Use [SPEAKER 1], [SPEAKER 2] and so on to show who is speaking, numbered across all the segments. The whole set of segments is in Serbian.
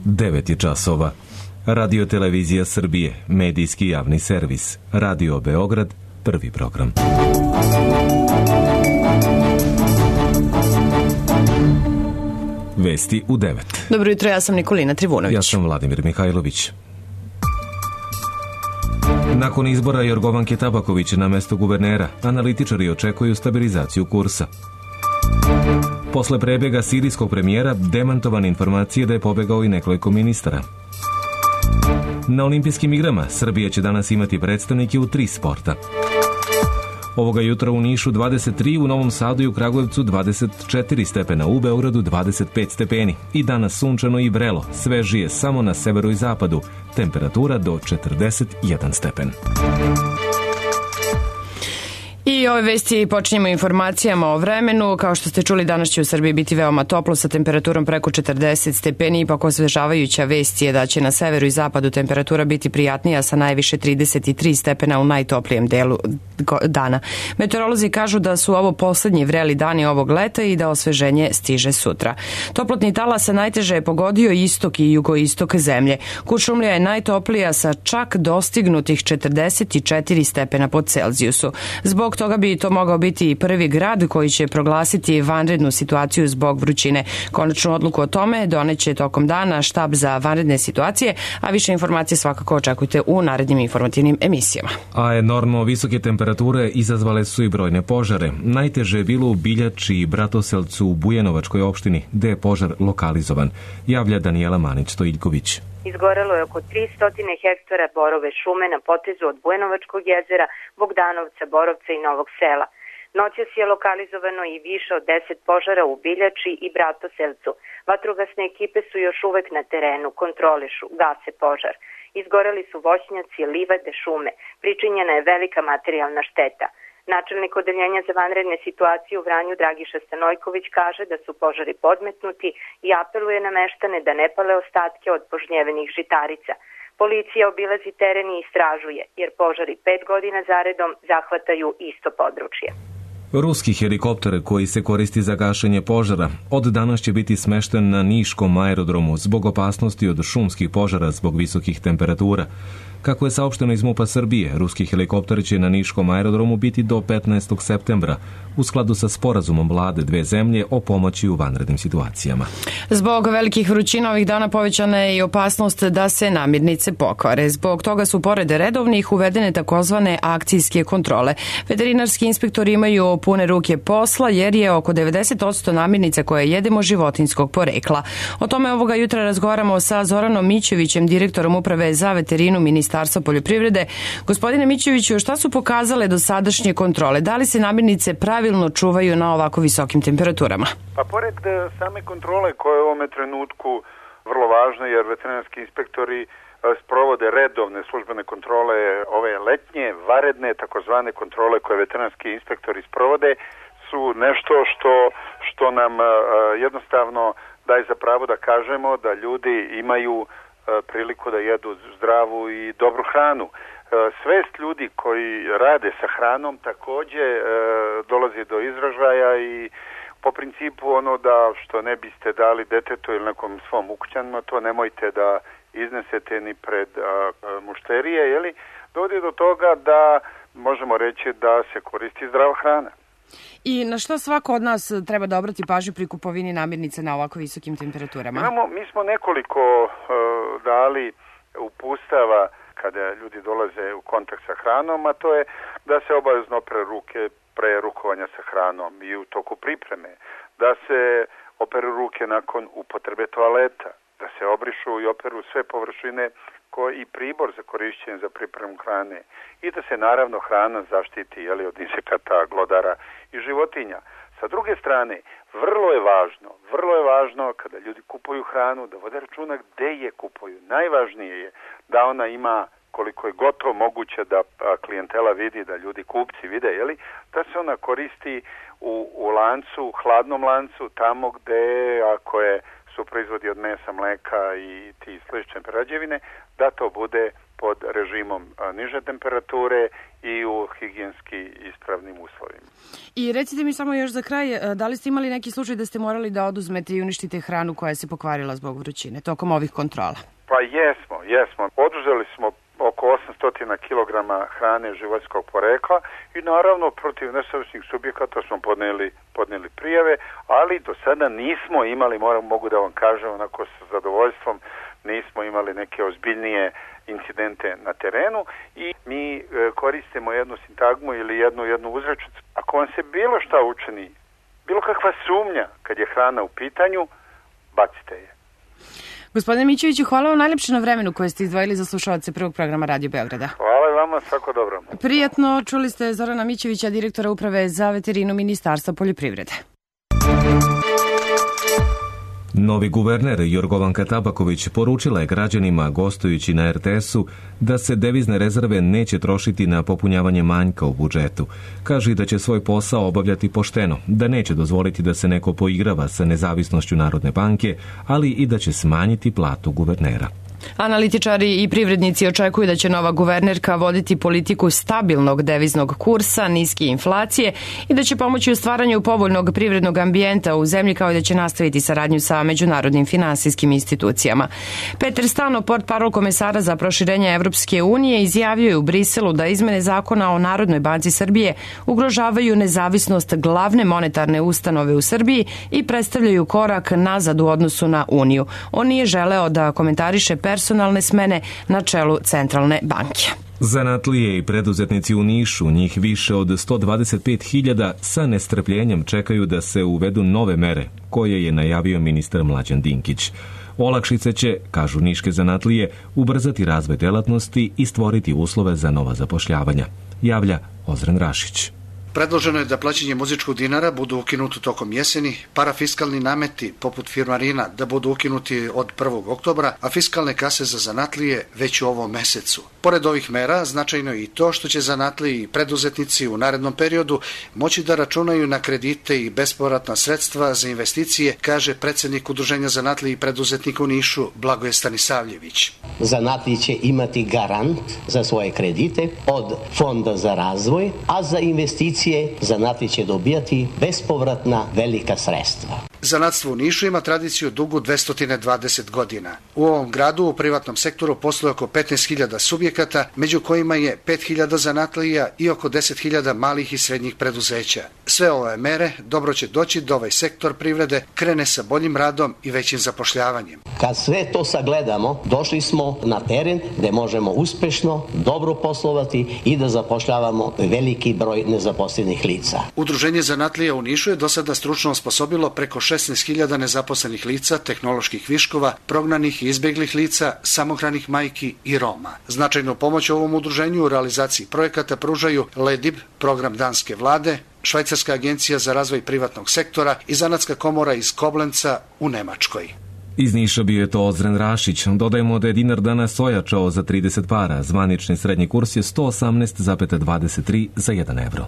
[SPEAKER 1] 9 je časova. Radio Televizija Srbije, medijski javni servis. Radio Beograd, prvi program. Vesti u 9.
[SPEAKER 2] Dobro jutro, ja sam Nikolina Trivunović.
[SPEAKER 1] Ja sam Vladimir Mihajlović. Nakon izbora Jorgovanke Tabaković na mesto guvernera, analitičari očekuju stabilizaciju kursa. Posle prebjega sirijskog premijera, demantovane informacije da je pobegao i nekoliko ministara. Na olimpijskim igrama Srbija će danas imati predstavnike u 3 sporta. Ovoga jutra u Nišu 23, u Novom Sadu i u Kragujevcu 24 stepena, u Beogradu 25 stepeni. I danas sunčano i vrelo, svežije samo na severu i zapadu, temperatura do 41 stepen.
[SPEAKER 2] I ove vesti počinjemo informacijama o vremenu. Kao što ste čuli, danas će u Srbiji biti veoma toplo sa temperaturom preko 40 stepeni. Ipak osvežavajuća vest je da će na severu i zapadu temperatura biti prijatnija sa najviše 33 stepena u najtoplijem delu dana. Meteorolozi kažu da su ovo poslednji vreli dani ovog leta i da osveženje stiže sutra. Toplotni talas se najteže je pogodio istok i jugoistok zemlje. Kuršumlija je najtoplija sa čak dostignutih 44 stepena po Celzijusu. Zbog toga bi to mogao biti i prvi grad koji će proglasiti vanrednu situaciju zbog vrućine. Konačnu odluku o tome doneće tokom dana štab za vanredne situacije, a više informacije svakako očekujte u narednim informativnim emisijama.
[SPEAKER 1] A enormno visoke temperature izazvale su i brojne požare. Najteže je bilo u Biljači i Bratoselcu u Bujanovačkoj opštini, gde je požar lokalizovan, javlja Danijela Manić-Stojiljković.
[SPEAKER 3] Izgorelo je oko 300 hektara borove šume na potezu od Bujanovačkog jezera, Bogdanovca, Borovca i Novog Sela. Noćas je lokalizovano i više od 10 požara u Biljači i Bratoselcu. Vatrogasne ekipe su još uvek na terenu, kontrolišu, gase požar. Izgoreli su voćnjaci, livade, šume. Pričinjena je velika materijalna šteta. Načelnik odeljenja za vanredne situacije u Vranju Dragiša Stanojković kaže da su požari podmetnuti i apeluje na meštane da ne pale ostatke od požnjevenih žitarica. Policija obilazi teren i istražuje, jer požari 5 godina zaredom zahvataju isto područje.
[SPEAKER 1] Ruski helikopter koji se koristi za gašenje požara od danas će biti smešten na Niškom aerodromu zbog opasnosti od šumskih požara zbog visokih temperatura. Kako je saopšteno iz MUP-a Srbije, ruski helikopter će na Niškom aerodromu biti do 15. septembra, u skladu sa sporazumom vlade dve zemlje o pomoći u vanrednim situacijama.
[SPEAKER 2] Zbog velikih vrućina ovih dana povećana je i opasnost da se namirnice pokvare. Zbog toga su pored redovnih uvedene takozvane akcijske kontrole. Veterinarski inspektori imaju pune ruke posla jer je oko 90% namirnica koje jedemo životinjskog porekla. O tome ovoga jutra razgovaramo sa Zoranom Mićevićem, direktorom uprave za veterinu Ministarstva poljoprivrede. Gospodine Mićeviću, šta su pokazale dosadašnje kontrole? Da li se namirnice pravilno čuvaju na ovako visokim temperaturama?
[SPEAKER 4] Pa pored same kontrole koja je u ovome trenutku vrlo važna, jer veterinarski inspektori sprovode redovne službene kontrole, ove letnje, vanredne, takozvane kontrole koje veterinarski inspektori sprovode, su nešto što nam jednostavno daje za pravo da kažemo da ljudi imaju priliku da jedu zdravu i dobru hranu. Svest ljudi koji rade sa hranom takođe dolazi do izražaja i po principu ono da što ne biste dali detetu ili nekom svom ukućanima, to nemojte da iznesete ni pred mušterije, jeli, dovodi do toga da možemo reći da se koristi zdrava hrana.
[SPEAKER 2] I na što svako od nas treba da obrati pažnju pri kupovini namirnice na ovako visokim temperaturama?
[SPEAKER 4] Mi smo nekoliko dali uputstava kada ljudi dolaze u kontakt sa hranom, a to je da se obavezno opere ruke pre rukovanja sa hranom i u toku pripreme, da se operu ruke nakon upotrebe toaleta, da se obrišu i operu sve površine i pribor za korišćenje za pripremu hrane i da se naravno hrana zaštiti od insekata, glodara i životinja. Sa druge strane, vrlo je važno kada ljudi kupuju hranu da vode računa gde je kupuju. Najvažnije je da ona ima, koliko je gotovo moguće da klijentela vidi, da ljudi kupci vide, da se ona koristi u lancu, hladnom lancu, tamo gde su proizvodi od mesa, mleka i ti slične prerađevine, da to bude pod režimom niže temperature i u higijenski ispravnim uslovima.
[SPEAKER 2] I recite mi samo još za kraj, da li ste imali neki slučaj da ste morali da oduzmete i uništite hranu koja se pokvarila zbog vrućine tokom ovih kontrola?
[SPEAKER 4] Pa jesmo. Oduzeli smo oko 800 kg hrane životinjskog porekla i naravno protiv nesavjesnih subjekata smo podnijeli prijave, ali do sada nismo imali, mogu da vam kažem onako sa zadovoljstvom, nismo imali neke ozbiljnije incidente na terenu i mi koristimo jednu sintagmu ili jednu uzrečicu. Ako vam se bilo šta učini, bilo kakva sumnja kad je hrana u pitanju, bacite je.
[SPEAKER 2] Gospodine Mićeviću, hvala vam najlepše na vremenu koje ste izdvojili za slušalce prvog programa Radio Beograda.
[SPEAKER 4] Hvala i vama, svako dobro.
[SPEAKER 2] Prijatno, čuli ste Zorana Mićevića, direktora Uprave za veterinu Ministarstva poljoprivrede.
[SPEAKER 1] Novi guverner Jorgovanka Tabaković poručila je građanima gostujući na RTS-u da se devizne rezerve neće trošiti na popunjavanje manjka u budžetu. Kaže da će svoj posao obavljati pošteno, da neće dozvoliti da se neko poigrava sa nezavisnošću Narodne banke, ali i da će smanjiti platu guvernera.
[SPEAKER 2] Analitičari i privrednici očekuju da će nova guvernerka voditi politiku stabilnog deviznog kursa, niske inflacije i da će pomoći u stvaranju povoljnog privrednog ambijenta u zemlji, kao i da će nastaviti saradnju sa međunarodnim finansijskim institucijama. Peter Stano, portparol komesara za proširenje Evropske unije, izjavio je u Briselu da izmene zakona o Narodnoj banci Srbije ugrožavaju nezavisnost glavne monetarne ustanove u Srbiji i predstavljaju korak nazad u odnosu na Uniju. On nije želeo da komentariše personalne smene na čelu Centralne banke.
[SPEAKER 1] Zanatlije i preduzetnici u Nišu, njih više od 125.000, sa nestrpljenjem čekaju da se uvedu nove mere, koje je najavio ministar Mlađan Dinkić. Olakšice će, kažu niške zanatlije, ubrzati razvoj delatnosti i stvoriti uslove za nova zapošljavanja. Javlja Ozren Rašić.
[SPEAKER 5] Predloženo je da plaćanje muzičkog dinara budu ukinuti tokom jeseni, parafiskalni nameti poput firmarina da budu ukinuti od 1. oktobra, a fiskalne kase za zanatlije već u ovom mesecu. Pored ovih mera, značajno je i to što će zanatliji i preduzetnici u narednom periodu moći da računaju na kredite i bespovratna sredstva za investicije, kaže predsednik Udruženja zanatliji i preduzetnika u Nišu Blagoje Stanisavljević.
[SPEAKER 6] Zanatliji će imati garant za svoje kredite od Fonda za razvoj, a za investicije zanatliji će dobijati bespovratna velika sredstva.
[SPEAKER 5] Zanatstvo u Nišu ima tradiciju dugu 220 godina. U ovom gradu u privatnom sektoru posluje oko 15.000 subjekata, među kojima je 5.000 zanatlija i oko 10.000 malih i srednjih preduzeća. Sve ove mere dobro će doći da ovaj sektor privrede krene sa boljim radom i većim zapošljavanjem.
[SPEAKER 6] Kad sve to sagledamo, došli smo na teren gde možemo uspešno, dobro poslovati i da zapošljavamo veliki broj nezaposlenih lica.
[SPEAKER 5] Udruženje zanatlija u Nišu je do sada stručno osposobilo preko 16.000 nezaposlenih lica, tehnoloških viškova, prognanih i izbeglih lica, samohranih majki i Roma. Značajnu pomoć ovom udruženju u realizaciji projekata pružaju LEDIB, program danske vlade, Švajcarska agencija za razvoj privatnog sektora i Zanatska komora iz Koblenca u Nemačkoj.
[SPEAKER 1] Iz Niša bio je to Ozren Rašić. Dodajemo da je dinar danas ojačao za 30 para. Zvanični srednji kurs je 118,23 za 1 evro.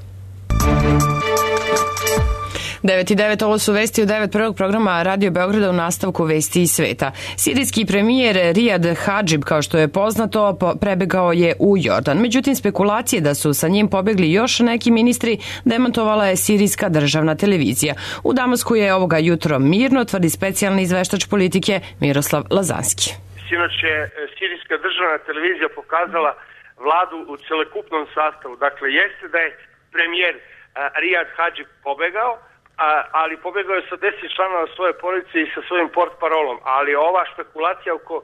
[SPEAKER 2] 9.9, ovo su vesti u 9 prvog programa Radio Beograda u nastavku vesti iz sveta. Sirijski premijer Rijad Hadžib, kao što je poznato, prebegao je u Jordan. Međutim, spekulacije da su sa njim pobegli još neki ministri demantovala je sirijska državna televizija. U Damasku je ovoga jutro mirno, tvrdi specijalni izveštač politike Miroslav Lazanski.
[SPEAKER 7] Sinoć je sirijska državna televizija pokazala vladu u celokupnom sastavu. Dakle, jeste da je premijer Rijad Hadžib pobegao, ali pobegao je sa 10 članova svoje porodice i sa svojim portparolom, ali ova špekulacija oko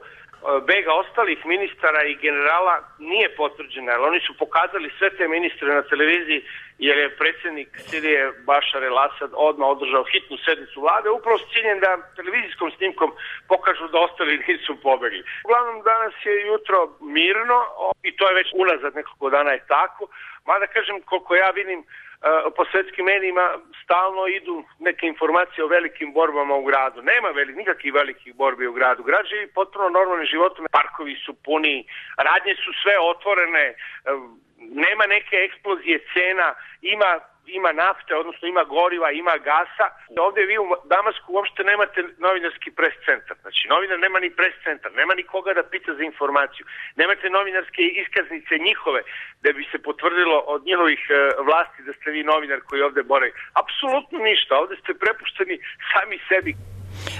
[SPEAKER 7] bega ostalih ministara i generala nije potvrđena, jer oni su pokazali sve te ministre na televiziji, jer je predsjednik Sirije Bašar el-Asad odmah održao hitnu sednicu vlade, upravo s ciljem da televizijskom snimkom pokažu da ostali nisu pobegli. Uglavnom, danas je jutro mirno i to je već unazad nekoliko dana je tako, mada kažem, koliko ja vidim, po svetskim medijima stalno idu neke informacije o velikim borbama u gradu. Nema nikakvih velikih borbi u gradu. Grad živi potpuno normalnim životom, parkovi su puni, radnje su sve otvorene, nema neke eksplozije cena, ima ima nafte, odnosno ima goriva, ima gasa. Ovdje vi u Damasku uopšte nemate novinarski pres centar. Znači, novinar nema ni pres centar, nema ni koga da pita za informaciju. Nemate novinarske iskaznice njihove da bi se potvrdilo od njihovih vlasti da ste vi novinar koji ovdje boravi. Apsolutno ništa, ovdje ste prepušteni sami sebi.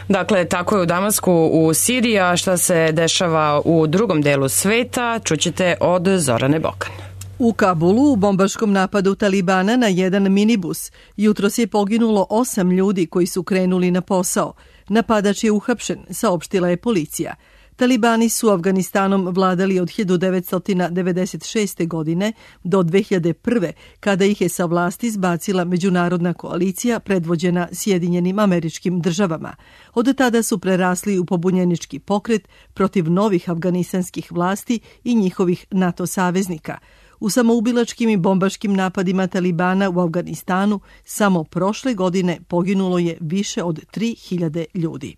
[SPEAKER 2] Dakle, tako je u Damasku, u Siriji, a šta se dešava u drugom delu sveta, čućete od Zorane Bokan.
[SPEAKER 8] U Kabulu u bombaškom napadu Talibana na jedan minibus jutros je poginulo 8 ljudi koji su krenuli na posao. Napadač je uhapšen, saopštila je policija. Talibani su Afganistanom vladali od 1996. godine do 2001. kada ih je sa vlasti zbacila međunarodna koalicija predvođena Sjedinjenim Američkim Državama. Od tada su prerasli u pobunjenički pokret protiv novih afganistanskih vlasti i njihovih NATO saveznika. U samoubilačkim i bombaškim napadima Talibana u Afganistanu samo prošle godine poginulo je više od 3000 ljudi.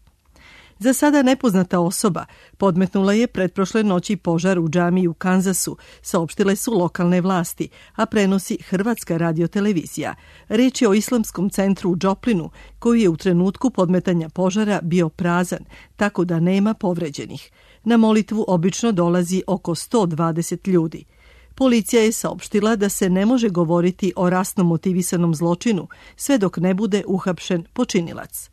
[SPEAKER 8] Za sada nepoznata osoba podmetnula je pretprošle noći požar u džamiji u Kanzasu, saopštile su lokalne vlasti, a prenosi Hrvatska radiotelevizija. Reč je o islamskom centru u Džoplinu, koji je u trenutku podmetanja požara bio prazan, tako da nema povređenih. Na molitvu obično dolazi oko 120 ljudi. Policija je saopštila da se ne može govoriti o rasno motivisanom zločinu sve dok ne bude uhapšen počinilac.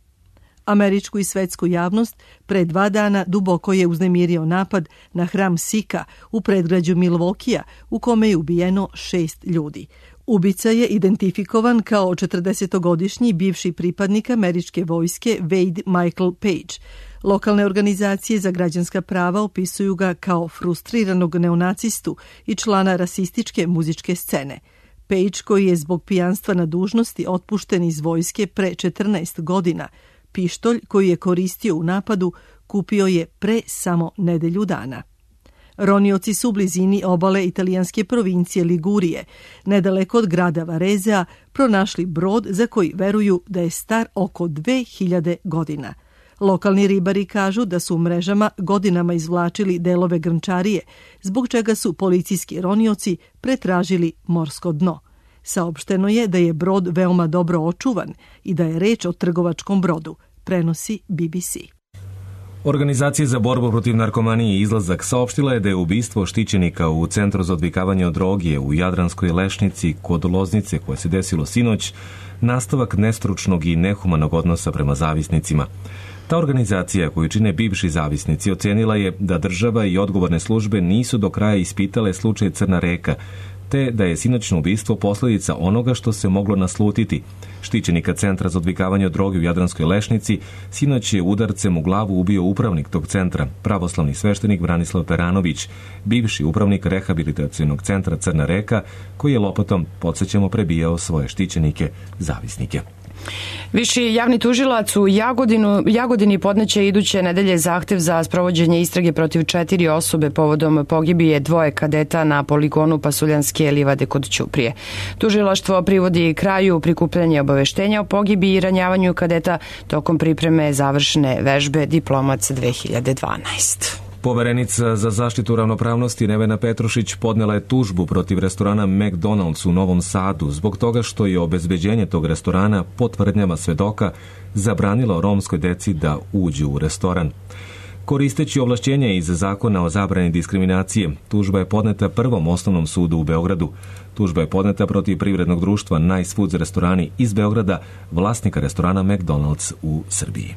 [SPEAKER 8] Američku i svetsku javnost pre 2 dana duboko je uznemirio napad na hram Sika u predgrađu Milvokija u kome je ubijeno 6 ljudi. Ubica je identifikovan kao 40-godišnji bivši pripadnik američke vojske Wade Michael Page. Lokalne organizacije za građanska prava opisuju ga kao frustriranog neonacistu i člana rasističke muzičke scene. Page, koji je zbog pijanstva na dužnosti otpušten iz vojske pre 14 godina, pištolj koji je koristio u napadu kupio je pre samo nedelju dana. Ronioci su u blizini obale italijanske provincije Ligurije, nedaleko od grada Varezea, pronašli brod za koji veruju da je star oko 2000 godina. Lokalni ribari kažu da su u mrežama godinama izvlačili delove grnčarije, zbog čega su policijski ronioci pretražili morsko dno. Saopšteno je da je brod veoma dobro očuvan i da je reč o trgovačkom brodu, prenosi BBC.
[SPEAKER 1] Organizacija za borbu protiv narkomanije Izlazak saopštila je da je ubistvo štićenika u Centru za odvikavanje od droge u Jadranskoj Lešnici kod Loznice koje se desilo sinoć nastavak nestručnog i nehumanog odnosa prema zavisnicima. Ta organizacija koju čine bivši zavisnici ocenila je da država i odgovorne službe nisu do kraja ispitale slučaj Crna Reka, te da je sinoćno ubistvo posljedica onoga što se moglo naslutiti. Štićenika Centra za odvikavanje od droge u Jadranskoj Lešnici sinoć je udarcem u glavu ubio upravnik tog centra, pravoslavni sveštenik Branislav Peranović, bivši upravnik rehabilitacionog centra Crna Reka, koji je lopatom, podsjećamo, prebijao svoje štićenike, zavisnike.
[SPEAKER 2] Viši javni tužilac u Jagodini podneće iduće nedelje zahtev za sprovođenje istrage protiv 4 osobe povodom pogibije 2 kadeta na poligonu Pasuljanske livade kod Ćuprije. Tužilaštvo privodi kraju prikupljanje obaveštenja o pogibiji i ranjavanju kadeta tokom pripreme završne vežbe Diplomac 2012.
[SPEAKER 1] Poverenica za zaštitu ravnopravnosti Nevena Petrušić podnela je tužbu protiv restorana McDonald's u Novom Sadu zbog toga što je obezbeđenje tog restorana po tvrdnjama svedoka zabranilo romskoj deci da uđu u restoran. Koristeći ovlašćenje iz Zakona o zabrani diskriminacije, tužba je podneta Prvom osnovnom sudu u Beogradu. Tužba je podneta protiv privrednog društva Nice Foods restorani iz Beograda, vlasnika restorana McDonald's u Srbiji.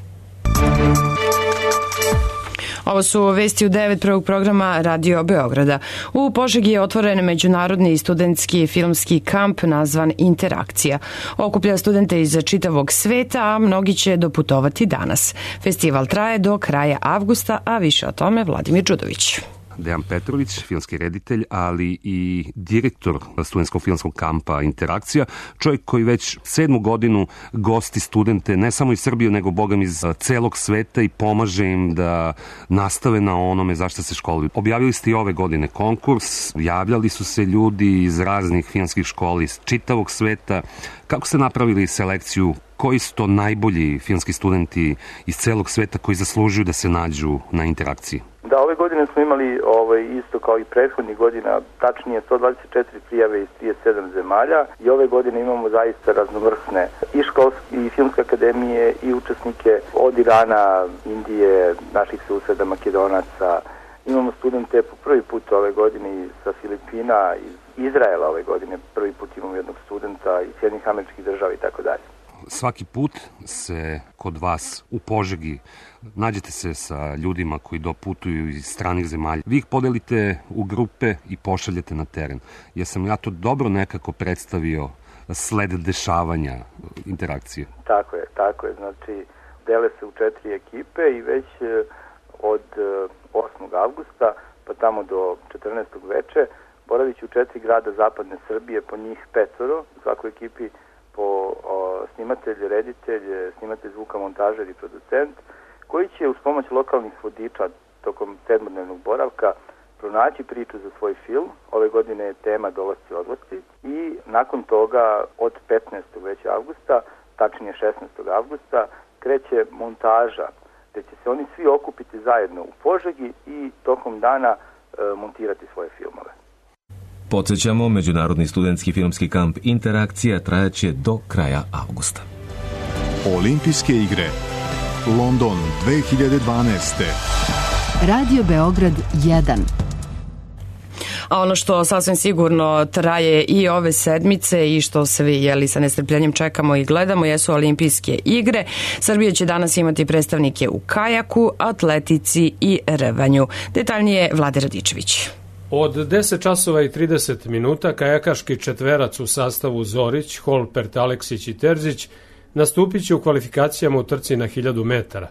[SPEAKER 2] Ovo su vesti u 9 prvog programa Radio Beograda. U Požegi je otvoren međunarodni studentski filmski kamp nazvan Interakcija. Okuplja studente iz čitavog sveta, a mnogi će doputovati danas. Festival traje do kraja avgusta, a više o tome Vladimir Đudović.
[SPEAKER 9] Dejan Petrović, filmski reditelj, ali i direktor studentskog filmskog kampa Interakcija, čovjek koji već 7. godinu gosti studente ne samo iz Srbije, nego bogam iz celog sveta i pomaže im da nastave na onome zašto se školuju. Objavili ste i ove godine konkurs, javljali su se ljudi iz raznih filmskih škola iz čitavog sveta. Kako ste napravili selekciju koji su to najbolji filmski studenti iz celog sveta koji zaslužuju da se nađu na interakciji?
[SPEAKER 10] Da, ove godine smo imali isto kao i prethodnih godina, tačnije 124 prijave iz 37 zemalja i ove godine imamo zaista raznovrsne i školske i filmske akademije i učesnike od Irana, Indije, naših suseda, Makedonaca. Imamo studente po prvi put ove godine sa Filipina, iz Izraela ove godine, prvi put imamo jednog studenta iz Sjedinjenih Američkih Država i tako dalje.
[SPEAKER 9] Svaki put se kod vas u Požegi nađete se sa ljudima koji doputuju iz stranih zemalja. Vi ih podelite u grupe i pošaljete na teren. Jesam ja to dobro nekako predstavio sled dešavanja interakcije?
[SPEAKER 10] Tako je. Znači, dele se u 4 ekipe i već od 8. avgusta pa tamo do 14. veče boravit će u 4 grada zapadne Srbije, po njih 5, u svakoj ekipi po snimatelj, reditelj, snimatelj zvuka, montažer i producent, koji će uz pomoć lokalnih vodiča tokom 7-dnevnog boravka pronaći priču za svoj film. Ove godine je tema Dolasci i odlasci i nakon toga od 15. već avgusta, tačnije 16. avgusta, kreće montaža, gde će se oni svi okupiti zajedno u Požegi i tokom dana montirati svoje filmove.
[SPEAKER 1] Podsjećamo, Međunarodni studentski filmski kamp Interakcija trajaće do kraja avgusta.
[SPEAKER 11] Olimpijske igre London 2012.
[SPEAKER 12] Radio Beograd 1.
[SPEAKER 2] A ono što sasvim sigurno traje i ove sedmice i što svi sa nestrpljenjem čekamo i gledamo jesu olimpijske igre. Srbija će danas imati predstavnike u kajaku, atletici i rvanju. Detaljnije Vlade Radičević.
[SPEAKER 13] Od 10 časova i 30 minuta kajakaški četverac u sastavu Zorić, Holpert, Aleksić i Terzić nastupit će u kvalifikacijama u trci na 1000 metara.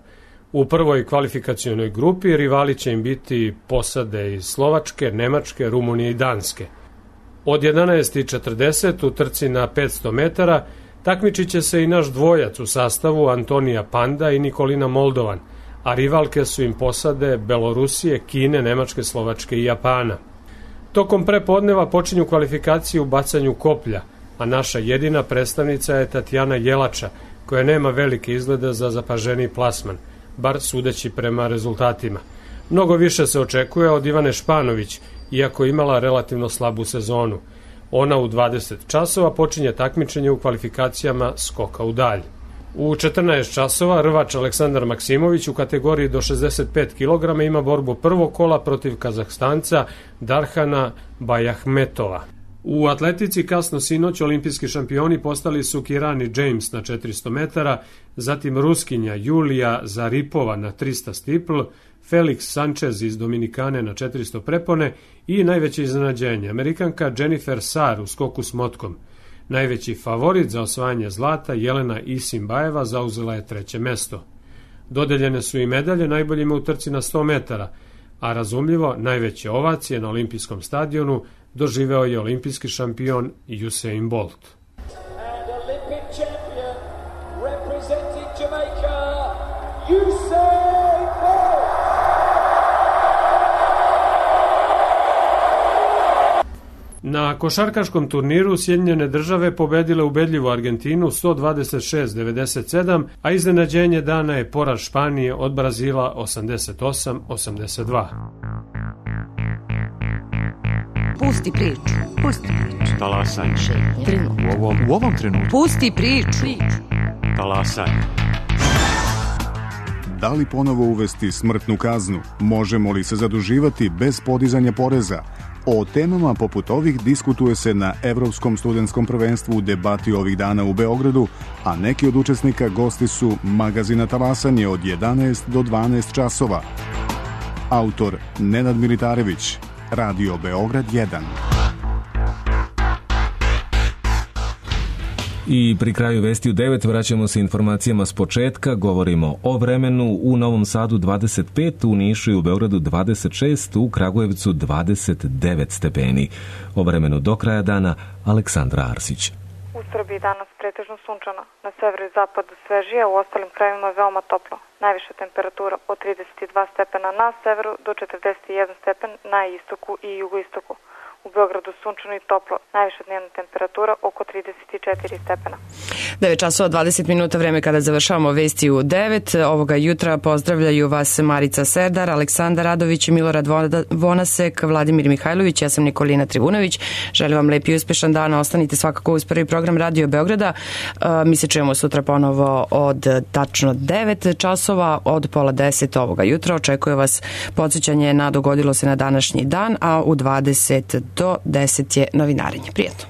[SPEAKER 13] U prvoj kvalifikacionoj grupi rivali će im biti posade iz Slovačke, Nemačke, Rumunije i Danske. Od 11:40 u trci na 500 metara takmičit će se i naš dvojac u sastavu Antonija Panda i Nikolina Moldovan, a rivalke su im posade Belorusije, Kine, Nemačke, Slovačke i Japana. Tokom prepodneva počinju kvalifikacije u bacanju koplja, a naša jedina predstavnica je Tatjana Jelača, koja nema velike izglede za zapaženiji plasman, bar sudeći prema rezultatima. Mnogo više se očekuje od Ivane Španović, iako imala relativno slabu sezonu. Ona u 20 časova počinje takmičenje u kvalifikacijama skoka u dalj. U 14 časova rvač Aleksandar Maksimović u kategoriji do 65 kg ima borbu prvog kola protiv Kazahstanca Darhana Bajahmetova. U atletici kasno sinoć olimpijski šampioni postali su Kirani James na 400 metara, zatim Ruskinja Julija Zaripova na 300 stipl, Felix Sanchez iz Dominikane na 400 prepone i najveće iznenađenje, Amerikanka Jennifer Sarr u skoku s motkom. Najveći favorit za osvajanje zlata, Jelena Isimbajeva, zauzela je 3. mesto. Dodeljene su i medalje najboljima u trci na 100 metara, a razumljivo najveće ovacije na olimpijskom stadionu doživeo je olimpijski šampion Usain Bolt. Na košarkaškom turniru Sjedinjene države pobedile ubedljivu Argentinu 126-97, a iznenađenje dana je poraz Španije od Brazila 88-82.
[SPEAKER 12] Pusti priču.
[SPEAKER 14] Talasaj.
[SPEAKER 12] U ovom trenutku. Pusti priču.
[SPEAKER 14] Talasaj.
[SPEAKER 11] Da li ponovo uvesti smrtnu kaznu? Možemo li se zaduživati bez podizanja poreza? O temama poput ovih diskutuje se na Evropskom studentskom prvenstvu u debati ovih dana u Beogradu, a neki od učesnika gosti su magazina Talasanje od 11 do 12 časova. Autor Nenad Militarević, Radio Beograd 1.
[SPEAKER 1] I pri kraju vesti u 9 vraćamo se informacijama s početka. Govorimo o vremenu. U Novom Sadu 25, u Nišu i u Beogradu 26, u Kragujevcu 29 stepeni. O vremenu do kraja dana Aleksandra Arsić.
[SPEAKER 15] U Srbiji danas pretežno sunčano, na severu i zapadu svežije, u ostalim krajevima veoma toplo. Najviša temperatura od 32 stepena na severu do 41 stepen na istoku i jugoistoku. U Beogradu sunčano i toplo, najviša dnevna temperatura oko 34 stepena.
[SPEAKER 2] 9 časova 20 minuta, vreme kada završavamo vesti u 9. Ovoga jutra pozdravljaju vas Marica Serdar, Aleksandar Radović, Milorad Vonasek, Vladimir Mihajlović, ja sam Nikolina Trivunović. Želim vam lep i uspešan dan, ostanite svakako uz prvi program Radio Beograda. Mi se čujemo sutra ponovo od tačno 9 časova, od pola 10 ovoga jutra. Očekuje vas podsjećanje na dogodilo se na današnji dan, a u 20 do 10 je novinarenje. Prijatno.